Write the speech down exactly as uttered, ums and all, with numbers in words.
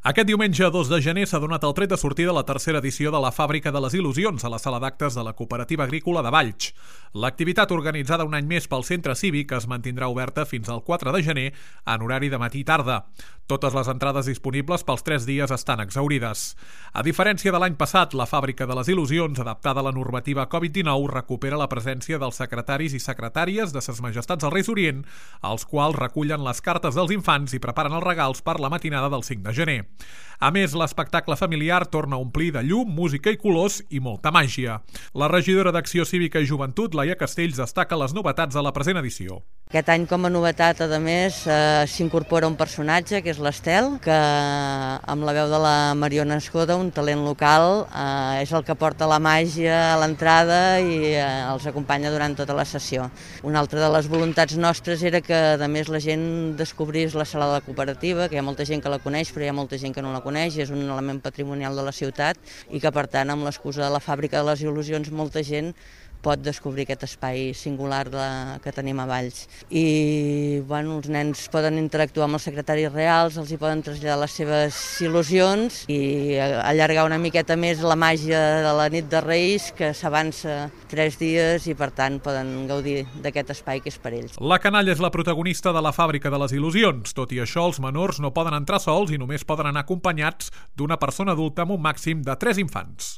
Aquest diumenge dos de gener s'ha donat el tret de sortida la tercera edició de la Fàbrica de les Il·lusions a la sala d'actes de la Cooperativa Agrícola de Valls. L'activitat, organitzada un any més pel Centre Cívic, es mantindrà oberta fins al quatre de gener en horari de matí i tarda. Totes les entrades disponibles pels tres dies estan exhaurides. A diferència de l'any passat, la Fàbrica de les Il·lusions, adaptada a la normativa Covid dinou, recupera la presència dels secretaris i secretàries de Ses Majestats del Reis Orient, els quals recullen les cartes dels infants i preparen els regals per la matinada del cinc de gener. A més, l'espectacle familiar torna a omplir de llum, música i colors i molta màgia. La regidora d'Acció Cívica i Joventut, Laia Castells, destaca les novetats de la present edició. Aquest any, com a novetat, a més, eh, s'incorpora un personatge, que és l'Estel, que amb la veu de la Mariona Escoda, un talent local, eh, és el que porta la màgia a l'entrada i eh, els acompanya durant tota la sessió. Una altra de les voluntats nostres era que, a més, la gent descobrís la sala de la cooperativa, que hi ha molta gent que la coneix, però hi ha molta gent que no la coneix, és un element patrimonial de la ciutat i que, per tant, amb l'excusa de la Fàbrica de les Il·lusions, molta gent pot descobrir aquest espai singular de, que tenim a Valls. I bueno, els nens poden interactuar amb els secretaris reals, els hi poden traslladar les seves il·lusions i allargar una miqueta més la màgia de la nit de Reis, que s'avança tres dies i per tant poden gaudir d'aquest espai que és per ells. La canalla és la protagonista de la Fàbrica de les Il·lusions. Tot i això, els menors no poden entrar sols i només poden anar acompanyats d'una persona adulta amb un màxim de tres infants.